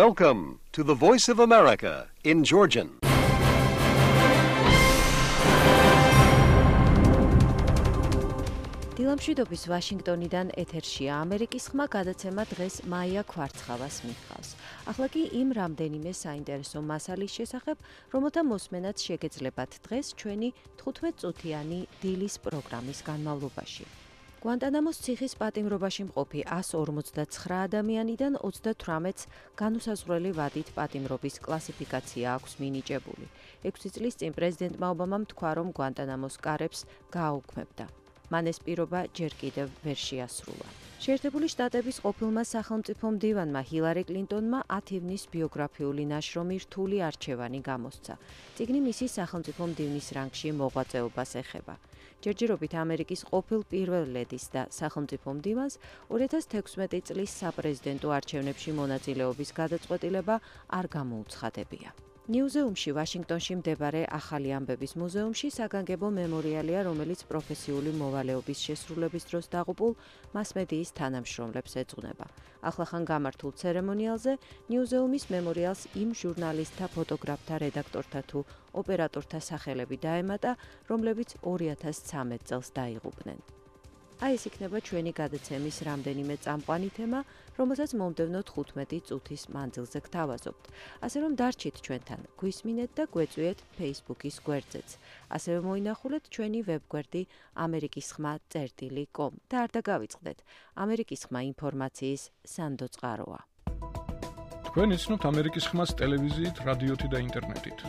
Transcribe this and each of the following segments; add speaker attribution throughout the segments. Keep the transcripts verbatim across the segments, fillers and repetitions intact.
Speaker 1: Welcome to the Voice of America in Georgian.
Speaker 2: დილამშვიდობის ვაშინგტონიდან ეთერშია ამერიკის ხმა გადაცემა დღეს მაია ქვარცხავას მიხავს. ახლა კი იმ რამდენიმე საინტერესო მასალის შესახებ, რომელთა მოსმენაც შეგეძლებათ დღეს ჩვენი თხუთმეტწუთიანი დილის პროგრამის განმავლობაში. გვანტანამოს ციხის პატიმრობაში მყოფი εκατს ორმოცდაცხრა ადამიანიდან ოცდათვრამეტს განუსაზღვრელი ვადით პატიმრობის კლასიფიკაცია აქვს მინიჭებული. ექვსი წლის წინ პრეზიდენტმა ობამამ თქვა, რომ გვანტანამოს კარებს გააუქმებდა. მან ეს პირობა ჯერ კიდევ ვერ შეასრულა. შეერთებული შტატების ყოფილმა სახელმწიფო მდივანმა ჰილარი კლინტონმა ათი ივნის ბიოგრაფიული ნაშრომი რთული არჩევანი გამოსცა. წიგნი მისი სახელმწიფო მდივნის რანგში მოღვაწეობას ეხება. ჯერჯერობით ამერიკის ყოფილ პირველ ლედის და სახელმწიფო მდივანს ორი ათას თექვსმეტი წლის საპრეზიდენტო არჩევნებში მონაწილეობის გადაწყვეტილება არ გამოუცხადებია. ნიუზეუმში ვაშინგტონში მდებარე ახალი ამბების მუზეუმში საგანგებო მემორიალია, რომელიც პროფესიული მოვალეობის შესრულების დროს დაღუპულ მასმედიის თანამშრომლებს ეძღვნება. ახლახან გამართულ ცერემონიალზე ნიუზეუმის მემორიალს იმ ჟურნალისტთა, ფოტოგრაფთა, რედაქტორთა თუ ოპერატორთა სახელები დაემატა, რომლებიც ორი ათას ცხრამეტ წელს დაიღუპნენ. აი ეს იქნება ჩვენი გადაცემის რამდენიმე წამყვანი თემა, რომელსაც მომდევნო თხუთმეტი წუთის მანძილზე გთავაზობთ. ასე რომ დარჩით ჩვენთან, გვისმინეთ და გვეწვიეთ Facebook-ის გვერდზეც. ასევე მოინახულეთ ჩვენი ვებგვერდი ამერიკის ხმა წერტილი კომ და არ დაგავიწყდეთ, ამერიკის ხმა ინფორმაციის სანდო წყაროა.
Speaker 3: თქვენ იცნობთ ამერიკის ხმას ტელევიზიით, რადიოთი და ინტერნეტით.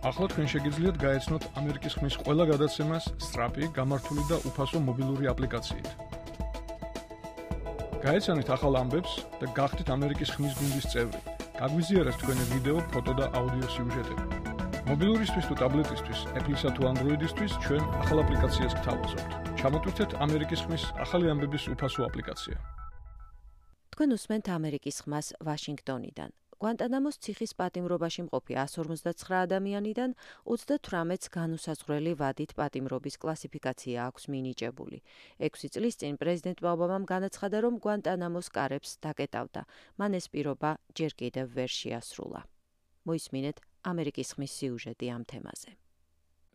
Speaker 3: ახლა თქვენ შეგიძლიათ გაეცნოთ ამერიკის ხმის ყველა გადაცემას სწრაფი, გამართული და უფასო მობილური აპლიკაციით. გაეცანით ახალ ამბებს და გახდით ამერიკის ხმის გუნდის წევრი. გაგვიზიარეთ თქვენი ვიდეო, ფოტო და აუდიო სიუჟეტები. მობილურისთვის თუ ტაბლეტისთვის, Apple-ისა თუ Android-ისთვის ჩვენ ახალ აპლიკაციას გთავაზობთ. ჩამოტვირთეთ ამერიკის ხმის ახალი ამბების უფასო აპლიკაცია.
Speaker 2: თქვენ უსმენთ ამერიკის ხმას ვაშინგტონიდან. გვანტანამოს ციხის პატიმრობაში მყოფი εκατს ორმოცდაცხრა ადამიანიდან ოცდათვრამეტს განუსაზღვრელი ვადით პატიმრობის კლასიფიკაცია აქვს მინიჭებული. ექვსი წლის წინ პრეზიდენტმა ობამამ განაცხადა, რომ გვანტანამოს კარებს დაკეტავდა. მან ეს პირობა ჯერ კიდევ ვერ შეასრულა. მოისმინეთ ამერიკის ხმის სიუჟეტი ამ თემაზე.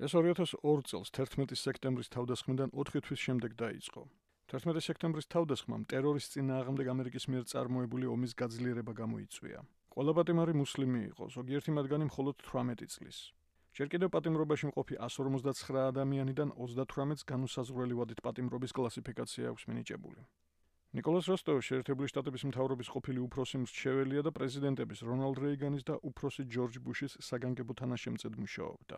Speaker 3: ეს ორი ათას ორი წელს თერთმეტი სექტემბრის თავდასხმიდან ოთხი თვის შემდეგ დაიწყო. თერთმეტი სექტემბრის თავდასხმამ ტერორის წინააღმდეგ ამერიკის მიერ წარმოებული ომის გაძლიერება გამოიწვია. ყველა პატიმარი მუსლიმი იყო, ზოგიერთი მათგანი მხოლოდ თვრამეტი წლის. ჯერ კიდევ პატიმრობაში მყოფი εκατს ორმოცდაცხრა ადამიანიდან ოცდათვრამეტს განუსაზღვრელი ვადით პატიმრობის კლასიფიკაცია აქვს მინიჭებული. ნიკოლას როსტოვი შეერთებული შტატების მთავრობის ყოფილი უფროსი მრჩეველია და პრეზიდენტების რონალდ რეიგანის და უფროსი ჯორჯ ბუშის საგანგებო თანაშემწედ მუშაობდა.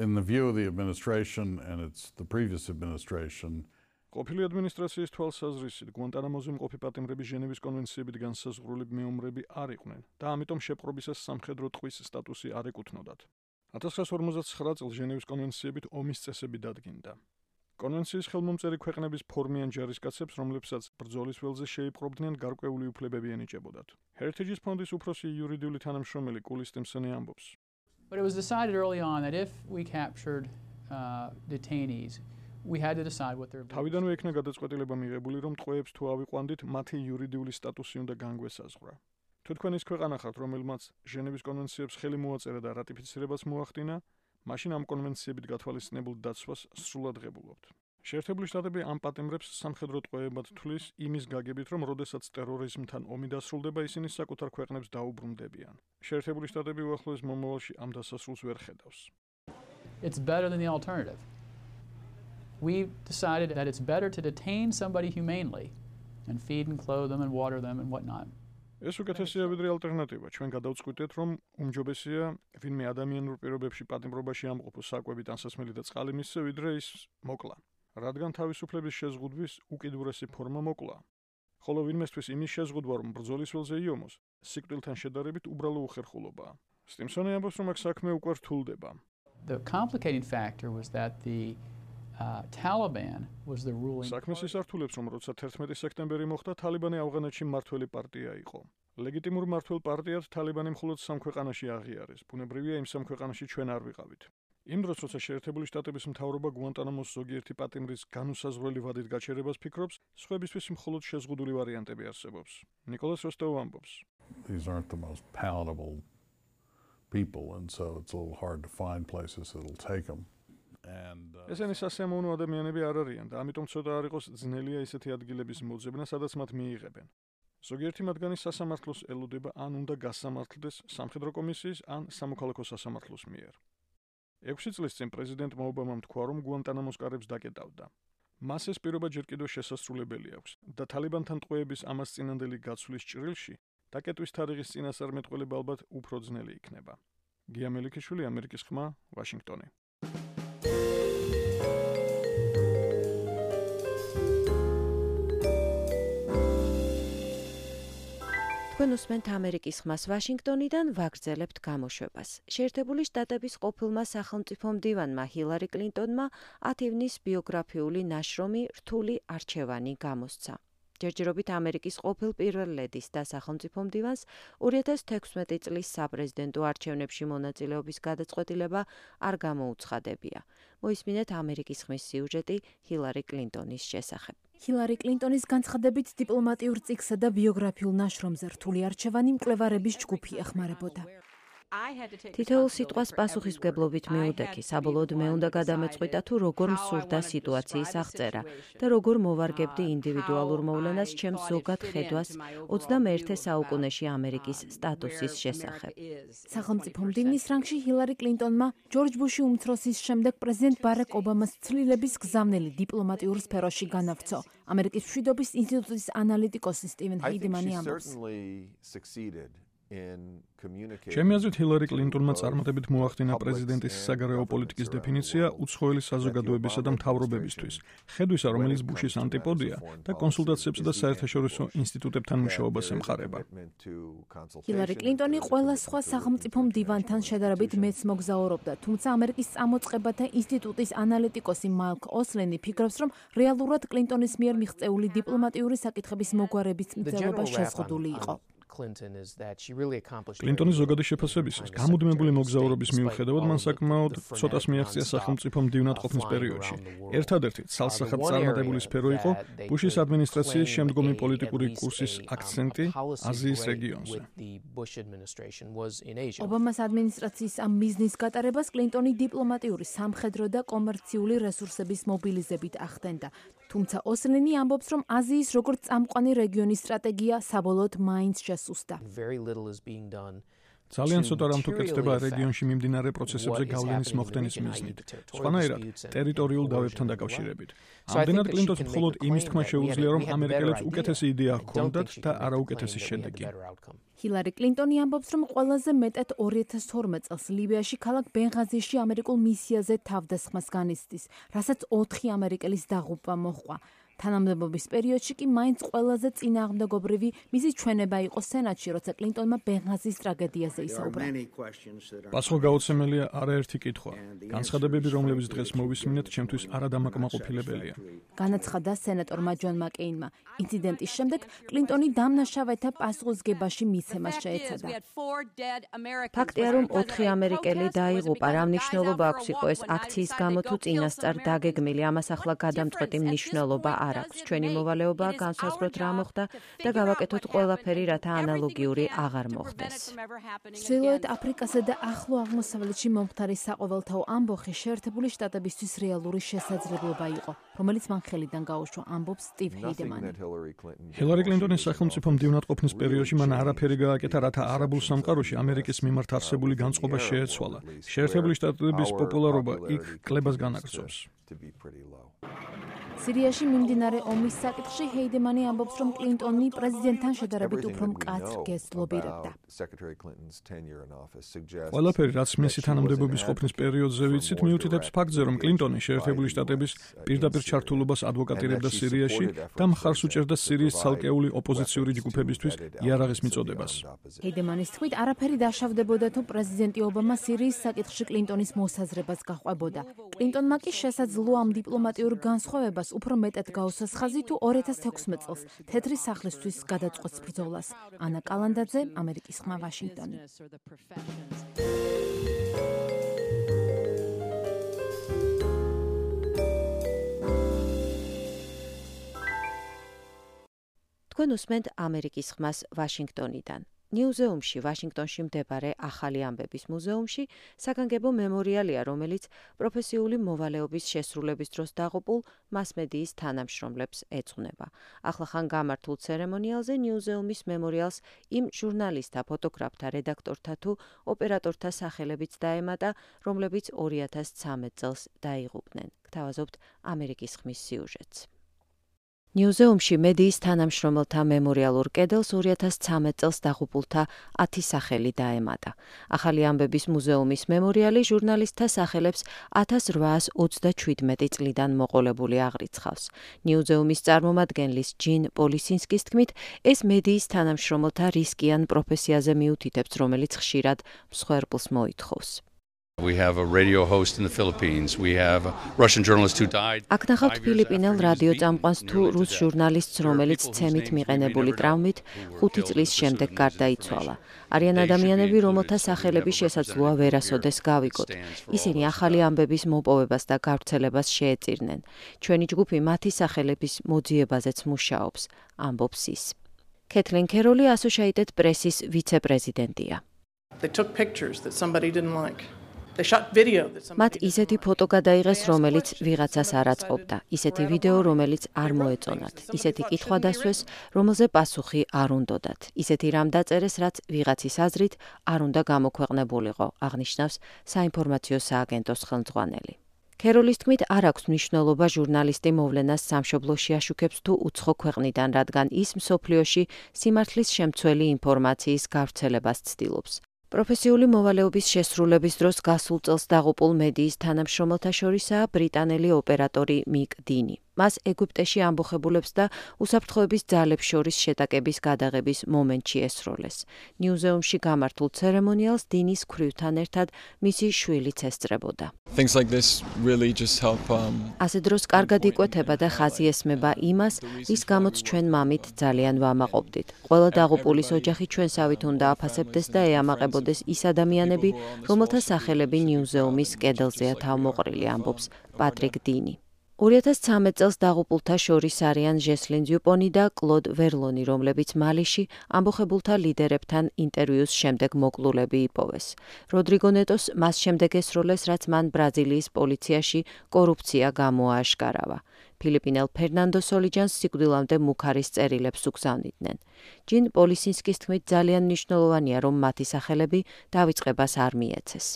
Speaker 4: In the view of the administration and it's the previous administration,
Speaker 3: ყოფილი ადმინისტრაციის თვალსაზრისით, გვანტანამოზე მყოფი პატიმრები ჟენევის კონვენციებით განსაზღვრული მეომრები არ იყვნენ და ამიტომ შეპყრობისას სამხედრო ტყვის სტატუსი არ ეკუთვნოდათ. ათას ცხრაასი ორმოცდაცხრა წელს ჟენევის კონვენციებით ომის წესები დადგინდა. კონვენციის ხელმომწერი ქვეყნების ფორმიან ჯარისკაცებს, რომლებსაც ბრძოლის ველზე შეიპყრობდნენ, გარკვეული უფლებები ენიჭებოდათ. Heritage ფონდის უფროსი იურიდიული თანამშრომელი კული სტიმსონი ამბობს.
Speaker 5: But it was decided early on that if we captured uh, detainees, we had to decide what their
Speaker 3: თავიდანვე იქნა გადაწყვეტილება მიღებული, რომ ტყვეებს თუ ავიყვანდით, მათი იურიდიული სტატუსი უნდა განგვესაზღვრა. თუ თქვენ ის ქვეყანა ხართ, რომელმაც ჟენევის კონვენციებს ხელი მოაწერა და რატიფიცირებას მოახდინა, მაშინ ამ კონვენციებით გათვალისწინებულ დაცვას სრულად ღებულობთ. შეერთებული შტატები ამ პატიმრებს სამხედრო ტყვეებად თვლის იმის გაგებით, რომ როდესაც ტერორიზმთან ომი დასრულდება, ისინი საკუთარ ქვეყნებს დაუბრუნდებიან. შეერთებული შტატები უახლოეს მომავალში ამ დასასრულს ვერ ხედავს.
Speaker 5: It's better than the alternative. We decided that it's better to detain somebody humanely and feed and clothe them and water them and whatnot.
Speaker 3: ეს უკეთესია ვიდრე ალტერნატივა. ჩვენ გადავწყვიტეთ, რომ უმჯობესია ვინმე ადამიანურ პირობებში პატიმრობაში ამყოფოს საკვებით ანსასმელი და წყალი მისცე, ვიდრე ის მოკლა. რადგან თავისუფლების შეზღუდვის უკიდურესი ფორმა მოკლა. ხოლო ვინმესთვის იმის შეზღუდვა, რომ ბრძოლის ველზე იომოს, სიკვდილთან შედარებით უბრალო უხერხულობაა. სტიმსონი ამბობს, რომ აქ საქმე უკვე რთულდება.
Speaker 5: The complicating factor was that the Uh, Taliban was the ruling.
Speaker 3: საქმეს ისართულებს, რომ როცა თერთმეტი სექტემბერი მოხდა, თალიბანი ავღანეთში მმართველი პარტია იყო. ლეგიტიმურ მმართველ პარტიად თალიბანი მხოლოდ სამ ქვეყანაში აღიარეს. ბუნებრივია იმ სამ ქვეყანაში ჩვენ არ ვიყავით. იმ დროს, როცა შეერთებული შტატების მთავრობა გვანტანამოს ზოგიერთი პატიმრის განუსაზღვრელი ვადით გაჩერებას ფიქრობს, სხვებისთვის მხოლოდ შეზღუდული ვარიანტები არსებობს. ნიკოლას როსტოვი ამბობს.
Speaker 4: these aren't the most palatable people, and so it's a little hard to find places that'll take them. And uh,
Speaker 3: ესენი სასიამოვნო ადამიანები არ არიან და ამიტომ ცოტა არ იყოს ძნელია ისეთი ადგილების მოძებნა, სადაც მათ მიიღებენ. ზოგიერთი მათგანი სასამართლოს ელოდება ან უნდა გასამართლდეს სამხედრო კომისიის ან სამოქალაქო სასამართლოს მიერ. ექვსი წლის წინ პრეზიდენტმა ობამამ თქვა, რომ გუანტანამოს კარებს დაკეტავდა. მას ეს პირობა ჯერ კიდევ შესასრულებელი აქვს და თალიბანთან ტყვეების ამას წინანდელი გაცვლის ჭრილში დაკეტვის თარიღის წინასწარმეტყველება ალბათ უფრო ძნელი იქნება. გია მელიქიშვილი, ამერიკის ხმა, ვაშინგტონი.
Speaker 2: თქვენ უსმენთ ამერიკის ხმას ვაშინგტონიდან, ვაგრძელებთ გამოშვებას. შეერთებული შტატების ყოფილმა სახელმწიფო მდივანმა ჰილარი კლინტონმა ათი ივნის ბიოგრაფიული ნაშრომი რთული არჩევანი გამოსცა. ჯერჯერობით ამერიკის ყოფილ პირველ ლედის და სახელმწიფო მდივანს ორი ათას თექვსმეტი წლის საპრეზიდენტო არჩევნებში მონაწილეობის გადაწყვეტილება არ გამოუცხადებია. მოისმინეთ ამერიკის ხმის სიუჟეტი ჰილარი კლინტონის შესახებ.
Speaker 6: ჰილარი კლინტონის განცხადებით დიპლომატიურ წიგსა და ბიოგრაფიულ ნაშრომზე რთული არჩევანი მკვლევარების ჯგუფი ეხმარებოდა.
Speaker 2: თითოეულ სიტყვას პასუხისმგებლობით მიუდექი, საბოლოოდ მე უნდა გადამეწყვიტა თუ როგორ მსურდა სიტუაციის აღწერა და როგორ მოვარგებდი ინდივიდუალურ მოვლენას ჩემს ზოგად ხედვას ოცდამეერთე საუკუნეში ამერიკის სტატუსის შესახებ.
Speaker 6: სახელმწიფო მდივნის რანგში ჰილარი კლინტონმა ჯორჯ ბუში უმცროსის შემდეგ პრეზიდენტ ბარაკ ობამას ცვლილების გზავნილი დიპლომატიურ სფეროში განაგრძო. ამერიკის მშვიდობის ინსტიტუტის ანალიტიკოსი სტივენ ჰეიდემანი ამბობს.
Speaker 3: ჩემი აზრით ჰილარი კლინტონმა წარმატებით მოახდინა პრეზიდენტის საგარეო პოლიტიკის დეფინიცია უცხოელი საზოგადოებისა და მთავრობებისთვის, ხედვისა, რომელიც ბუშის ანტიპოდია და კონსულტაციებს და საერთაშორისო ინსტიტუტებთან მუშაობას ემყარება.
Speaker 6: ჰილარი კლინტონი ყველა სხვა სახელმწიფო მდივანთან შედარებით მეც მოგზაურობდა, თუმცა ამერიკის წამოწყებათა ინსტიტუტის ანალიტიკოსი მაიკლ ოსლენი ფიქრობს, რომ რეალურად კლინტონის მიერ მიღწეული დიპლომატიური საკითხების მოგვარების მცდელობა შეზღუდული იყო.
Speaker 3: კლინტონის ზოგადი შეფასებისას, გამუდმებული მოგზაურობის მიუხედავად, მან საკმაოდ ცოტას მიაღწია სახელმწიფო მდივნად ყოფნის პერიოდში. ერთადერთი ცალსახად წარმატებული სფერო იყო ბუშის ადმინისტრაციის შემდგომი პოლიტიკური კურსის აქცენტი აზიის რეგიონზე.
Speaker 6: ობამას ადმინისტრაციის ამ მიზნის გატარებას კლინტონი დიპლომატიური, სამხედრო და კომერციული რესურსების მობილიზებით ახდენდა. თუმცა ოსლენი ამბობს, რომ აზიის როგორც წამყვანი რეგიონის სტრატეგია საბოლოოდ მაინც შესუსტა.
Speaker 3: ძალიან ცოტა რამ თუ კეთდება რეგიონში მიმდინარე პროცესებზე გავლენის მოხდენის მიზნით, სხვანაირად ტერიტორიულ დავებთან დაკავშირებით. ამდენად კლინტონს მხოლოდ იმის თქმა შეუძლია, რომ ამერიკელებს უკეთესი იდეა ჰქონდათ და არა უკეთესი შედეგი.
Speaker 6: ჰილარი კლინტონი ამბობს, რომ ყველაზე მეტად ორი ათას თორმეტ წელს ლიბიაში ქალაქ ბენღაზიში ამერიკულ მისიაზე თავდასხმას განიცდის, რასაც ოთხი ამერიკელის დაღუპვა მოჰყვა. თანამდებობის პერიოდში კი მაინც ყველაზე წინააღმდეგობრივი მისი ჩვენება იყო სენატში, როცა კლინტონმა ბენღაზის ტრაგედიაზე ისაუბრა.
Speaker 3: პასუხგაუცემელია არაერთი კითხვა. განცხადებები, რომლებიც დღეს მოვისმინეთ, ჩემთვის არადამაკმაყოფილებელია.
Speaker 6: განაცხადა სენატორმა ჯონ მაკეინმა. ინციდენტის შემდეგ კლინტონი დამნაშავეთა პასუხისგებაში მიცემას შეეცადა.
Speaker 2: ფაქტია, რომ ოთხი ამერიკელი დაიღუპა, რა მნიშვნელობა აქვს იყო ეს აქციის გამო თუ წინასწარ დაგეგმილი, ამას ახლა გადამწყვეტი მნიშვნელობა არ აქვს. ჩვენი მოვალეობაა განსაზღვროთ რა მოხდა და გავაკეთოთ ყველაფერი, რათა ანალოგიური აღარ მოხდეს.
Speaker 6: ჩრდილოეთ აფრიკასა და ახლო აღმოსავლეთში მომხდარი საყოველთაო ამბოხი შეერთებული შტატებისთვის რეალური შესაძლებლობა იყო, რომელიც მან ხელიდან გაუშვა, ამბობს სტივ ჰეიდემანი.
Speaker 3: ჰილარი კლინტონის სახელმწიფო მდივნად ყოფნის პერიოდში მან არაფერი გააკეთა, რათა არაბულ სამყაროში ამერიკის მიმართ არსებული განწყობა შეეცვალა. შეერთებული შტატების პოპულარობა იქ კლებას განაგრძობს.
Speaker 6: სირიაში მიმდინარე ომის საკითხში ჰეიდემანი ამბობს, რომ კლინტონი პრეზიდენტთან შედარებით უფრო მკაცრ გესტს ლობირებდა.
Speaker 3: ყველაფერი, რაც მისი თანამდებობის ყოფნის პერიოდზე ვიცით, მიუთითებს ფაქტზე, რომ კლინტონი შეერთებული შტატების პირდაპირ ჩართულობას ადვოკატირებდა სირიაში და მხარს უჭერდა სირიის ცალკეული ოპოზიციური ჯგუფებისთვის იარაღის მიწოდებას.
Speaker 6: ჰეიდემანის თქმით, არაფერი დაშავდებოდა თუ პრეზიდენტი ობამა სირიის საკითხში კლინტონის მოსაზრებას გაჰყვებოდა. კლინტონმა კი შესაძლო ამ დიპლომატიურ განსხვავებას უფრო მეტად გაუსვას ხაზი თუ ორი ათას თექვსმეტ წელს თეთრი სახლისთვის გადაწყვეტს ბრძოლას. ანა კალანდაძე, ამერიკის ხმა, ვაშინგტონი.
Speaker 2: თქვენ უსმენთ ამერიკის ხმას ვაშინგტონიდან. ნიუზეუმში, ვაშინგტონში მდებარე ახალი ამბების მუზეუმში საგანგებო მემორიალია, რომელიც პროფესიული მოვალეობის შესრულების დროს დაღუპულ მასმედიის თანამშრომლებს ეძღვნება. ახლახან გამართულ ცერემონიალზე ნიუზეუმის მემორიალს იმ ჟურნალისტთა, ფოტოგრაფთა, რედაქტორთა თუ ოპერატორთა სახელებიც დაემატა, რომლებიც ორი ათას ცხრამეტ წელს დაიღუპნენ. გთავაზობთ ამერიკის ხმის სიუჟეტს. ნიუზეუმში მედიის თანამშრომელთა მემორიალურ კედელს ორი ათას ცხრამეტ წელს დაღუპულთა ათი სახელი დაემატა. ახალი ამბების მუზეუმის მემორიალი ჟურნალისტთა სახელებს ათას რვაას ოცდაჩვიდმეტი წლიდან მოყოლებული აღრიცხავს. ნიუზეუმის წარმომადგენლის ჯინ პოლისინსკის თქმით, ეს მედიის თანამშრომელთა რისკიან პროფესიაზე მიუთითებს, რომელიც ხშირად მსხვერპლს მოითხოვს.
Speaker 7: We have a radio host in the Philippines. We have a Russian journalist who died.
Speaker 2: აქ ნახავთ ფილიპინელ რადიო წამყვანს თუ რუს ჟურნალისტს, რომელიც ცემით მიყენებული ტრავმით ხუთი წლის შემდეგ გარდაიცვალა. არიან ადამიანები, რომელთა სახელები შესაძლოა ვერასოდეს გავიგოთ. ისინი ახალი ამბების მოპოვებას და გავრცელებას შეეწირნენ. ჩვენი ჯგუფი მათი სახელების მოძიებაზეც მუშაობს, ამბობს ის. კეთლინ კეროლი Associated Press-ის ვიცე-პრეზიდენტია.
Speaker 8: They took pictures that somebody didn't like.
Speaker 2: მათ ისეთი ფოტო გადაიღეს, რომელიც ვიღაცას არ აწყობდა, ისეთი ვიდეო, რომელიც არ მოეწონათ, ისეთი კითხვა დასვეს, რომელზე პასუხი არ უნდოდათ, ისეთი რამ დაწერეს, რაც ვიღაცის აზრით არ უნდა გამოქვეყნებულიყო, აღნიშნავს საინფორმაციო სააგენტოს ხელმძღვანელი. კეროლის თქმით, არ აქვს მნიშვნელობა ჟურნალისტი მოვლენას სამშობლოში აშუქებს თუ უცხო ქვეყნიდან, რადგან ის მსოფლიოში სიმართლის შემცველი ინფორმაციის გავრცელებას ცდილობს. პროფესიული მოვალეობის შესრულების დროს გასულ წელს დაღუპულ მედიის თანამშრომელთა შორისაა ბრიტანელი ოპერატორი მიკ დინი. მას ეგვიპტეში ამბოხებულებს და უსაფრთხოების ძალებს შორის შეტაკების გადაღების მომენტში ესროლეს. ნიუზეუმში გამართულ ცერემონიალს დინის ქვრივთან ერთად მისი შვილიც ესწრებოდა.
Speaker 9: Things like this really just help um
Speaker 2: ასე დროს კარგად იკვეთება და ხაზი ესმება იმას, რის გამოც ჩვენ მამით ძალიან ვამაყობდით. ყველა დაღუპულის ოჯახი ჩვენსავით უნდა აფასებდეს და ეამაყებოდეს ის ადამიანები, რომელთა სახელები ნიუზეუმის კედელზეა თავმოყრილი, ამბობს პატრიკ დინი. ორი ათას ცხრამეტ წელს დაღუპულთა შორის არიან ჟესლინ დიუპონი და კლოდ ვერლონი, რომლებიც მალიში ამბოხებულთა ლიდერებთან ინტერვიუს შემდეგ მოკლულები იპოვეს. როდრიგო ნეტოს მას შემდეგ ესროლეს, რაც მან ბრაზილიის პოლიციაში კორუფცია გამოააშკარავა. ფილიპინელ ფერნანდო სოლიჯანს სიკვდილამდე მუქარის წერილებს უგზავნიდნენ. ჯინ პოლისინსკის თქმით, ძალიან მნიშვნელოვანია, რომ მათი სახელები დავიწყებას არ მიეცეს.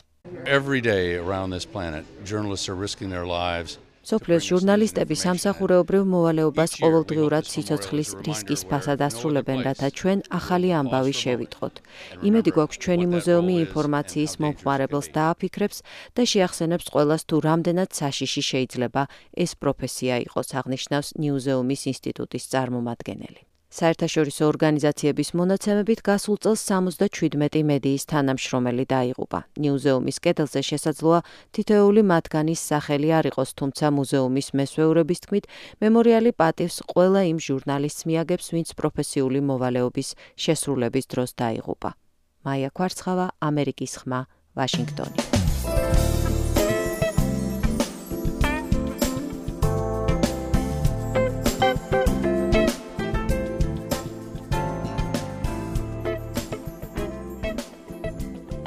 Speaker 7: Every day around this planet, journalists are risking their lives.
Speaker 2: სოფლიოს ჟურნალისტები სამსახურეობრივ მოვალეობას ყოველდღიურად სიცოცხლის რისკის ფასად ასრულებენ, რათა ჩვენ ახალი ამბავი შევიტყოთ. იმედი გვაქვს, ჩვენი მუზეუმი ინფორმაციის მომხმარებელს დააფიქრებს და შეახსენებს ყველას, თუ რამდენად საშიში შეიძლება ეს პროფესია იყოს, აღნიშნავს ნიუზეუმის ინსტიტუტის წარმომადგენელი. საერთაშორისო ორგანიზაციების მონაცემებით გასულ წელს სამოცდაჩვიდმეტი მედიის თანამშრომელი დაიღუპა. ნიუზეუმის კედელზე შესაძლოა თითოეული მათგანის სახელი არ იყოს, თუმცა მუზეუმის მესვეურების თქმით, მემორიალი პატივს ყველა იმ ჟურნალისტს მიაგებს, ვინც პროფესიული მოვალეობის შესრულების დროს დაიღუპა. მაია კვარცხავა, ამერიკის ხმა, ვაშინგტონი.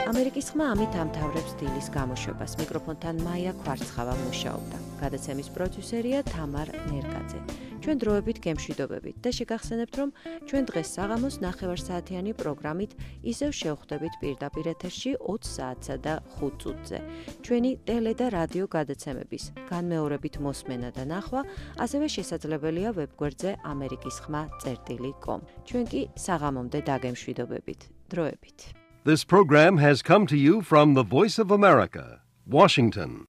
Speaker 2: ამერიკის ხმა ამით ამთავრებს დილის გამოშვებას. მიკროფონთან მაია კვარცხავა მუშაობდა. გადაცემის პროდიუსერია თამარ ნერგაძე. ჩვენ დროებით გემშვიდობებით და შეგახსენებთ, რომ ჩვენ დღეს საღამოს ნახევარსაათიანი პროგრამით ისევ შევხვდებით პირდაპირ ეთერში ოცი საათსა და ხუთ წუთზე. ჩვენი ტელე და რადიო გადაცემების განმეორებით მოსმენა და ნახვა ასევე შესაძლებელია ვებგვერდზე ამერიკის ხმა წერტილი კომ. ჩვენ კი საღამომდე დაგემშვიდობებით. დროებით.
Speaker 1: This program has come to you from the Voice of America, Washington.